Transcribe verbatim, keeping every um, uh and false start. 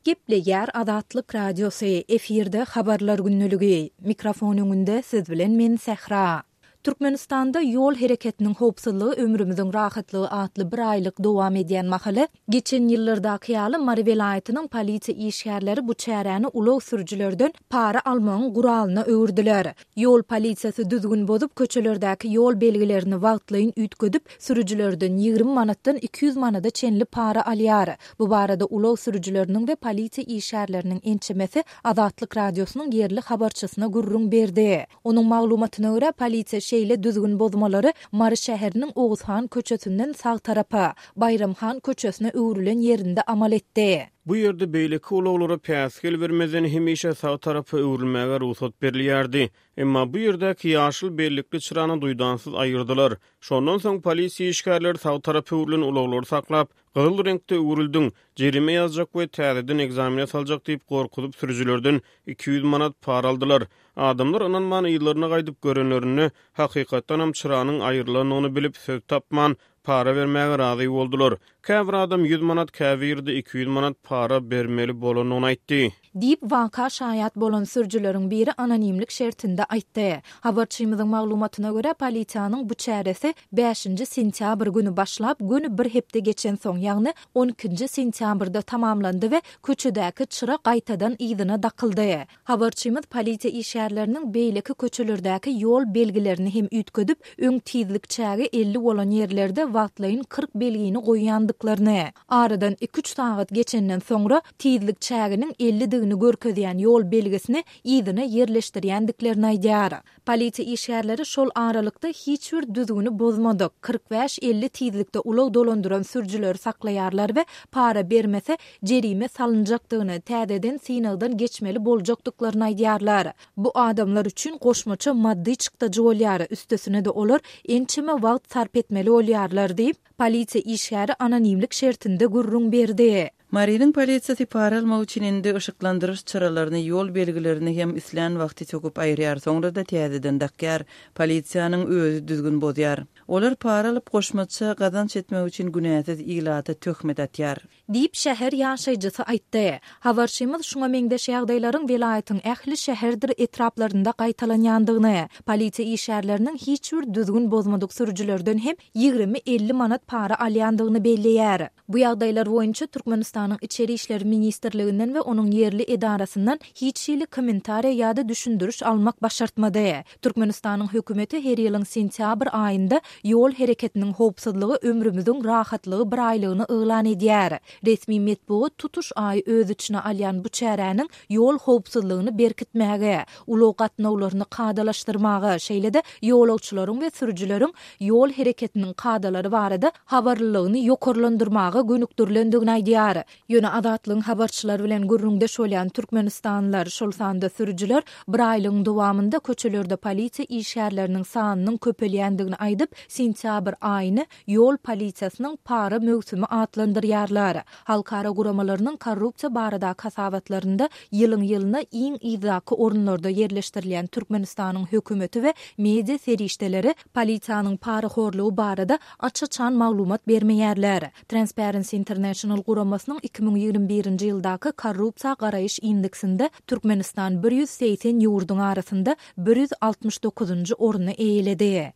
Gepleýär Azatlyk Radiosy, efirde Habarlar gündeligi. Mikrofon öňünde siz bilen men Sähra. Türkmenistanda Ýol hereketiniň howpsuzlygy ömrümiziň rahatlygy atly bir aýlyk dowam edýän mahaly, geçen ýyllardaky ýaly Mary welaýatynyň polisiýa işgärleri bu çäräni ulag sürüjilerden para almagyň guralyna öwürdiler. Ýol polisiýasy düzgün bozup, köçelerdäki ýol belgilerini wagtlaýyn üýtgedip, sürüjilerden ýigrimi manatdan iki ýüz manada çenli para alýar. Bu barada ulag sürüjileriniň we polisiýa işgärleriniň ençemesi Azatlyk Radiosynyň ýerli habarçysyna gürrüň berdi. Onuň maglumatyna görä, polisiýa şeýle düzgün bozmalary Mary şäheriniň Oguzhan köçesinden sag tarapa, Baýram han köçesine öwrülen ýerinde amal etdi. Bu ýerde beýleki ulaglara päsgel bermezden hemişe sag tarapa öwrülmäge rugsat berilýärdi. Emma bu ýerdäki ýaşyl bellikli çyrany duýdansyz aýyrdylar. Şondan soň polisiýa işgärleri sag tarapa öwrülen ulaglary saklap, gyzyl reňkde öwrüldiň, jerime ýazjak we täzeden ekzamene saljak diýip gorkuzyp sürüjilerden iki ýüz manat para aldylar. Adamlar ynanman yzlaryna gaýdyp görenlerinde, hakykatdanam çyranyň aýrylandygyny bilip, söz tapman, para bermäge razy boldular. Käbir adam ýüz manat, käbiri-de iki ýüz manat para bermeli bolandygyny aýtdy. Diýip, waka şaýat bolan sürüjileriň biri anonimlik şertinde aýtdy. Habarçymyzyň maglumatyna görä, polisiýanyň bu çäresi bäşinji sentýabr güni başlap, göni bir hepde geçensoň, ýagny on ikinji sentýabrda tamamlandy we köçedäki çyra gaýtadan yzyna dakyldy. Habarçymyz polisiýa işgärleriniň beýleki köçelerdäki ýol belgilerini hem üýtgedip, öň tizlik çägi elli bolan ýerlerde wagtlaýyn kyrk belgini goýýandyklaryny, aradan iki-üç sagat geçenden soňra tizlik çäginiň ellidigini görkezýän ýol belgisini yzyna ýerleşdirýändiklerini aýdýar. Polisiýa işgärleri şol aralykda hiç bir düzgüni bozmadyk, kyrk bäş-elli tizlikde ulag dolandyran sürüjileri saklaýarlar we para bermese, jerime salynjakdygyny, täzeden synagdan geçmeli boljakdyklaryny aýdýarlar. Bu adamlar üçin goşmaça maddy çykdajy bolýar, üstesine-de olar ençeme wagt sarp etmeli bolýarlar diýip, polisiýa işgäri anonimlik şertinde gürrüň berdi. Marynyň polisiýasy para almak üçin indi yşyklandyryş çyralaryny, ýol belgilerini hem islän wagty söküp aýyrýar, soňra-da täzeden dakýar. Polisiýanyň özi düzgün bozýar. Olar para alyp, goşmaça gazanç etmek üçin günäsiz ilata töhmet atýar. Diýip, şäher ýaşaýjysy aýtdy. Habarçymyz şuňa meňzeş ýagdaýlaryň welaýatyň ähli şäherdir etraplarynda gaýtalanýandygyny, polisiýa işgärleriniň hiç bir düzgün bozmadyk sürüjilerden hem ýigrimi-elli manat para alýandygyny belleýär. Bu ýagdaýlar boýunça Türkmenistanyň Içeri işler ministrliginden we onuň ýerli edarasyndan hiç hili kommentariýa ýa-da düşündiriş almak başartmady. Türkmenistanyň hökümeti her ýylyň sentýabr aýynda Ýol hereketiniň howpsuzlygy ömrümiziň rahatlygy biraýlygyny yglan edýär. Resmi metbugat tutuş aýy öz içine alýan bu çäräniň ýol howpsuzlygyny berkitmäge, ulag gatnawlaryny kadalaşdyrmaga, şeýle-de ýolagçylaryň we sürüjileriň ýol hereketiniň kadalary barada habarlylygyny ýokarlandyrmaga gönükdirilendigini aýdýar. Ýöne Azatlygyň habarçylary bilen gürrüňdeş bolýan türkmenistanlylar, şol sanda sürüjiler biraýlygyň dowamynda köçelerde polisiýa işgärleriniň sanynyň köpelýändigini aýdyp, sentýabr aýyny ýol polisiýasynyň para möwsümi atlandyrýarlar. Halkara guramalarynyň korrupsiýa baradaky hasabatlarynda ýylyň-ýylyna iň yzdaky orunlarda ýerleşdirilýän Türkmenistanyň hökümeti we media serişdeleri polisiýanyň parahorlugy barada aç-açan maglumat bermeýärler. Transparency International guramasynyň iki müň ýigrimi birinji ýyldaky korrupsiýa garaýyş indeksinde Türkmenistan bir ýüz segsen ýurduň arasynda bir ýüz altmyş dokuzynjy orny eýeledi.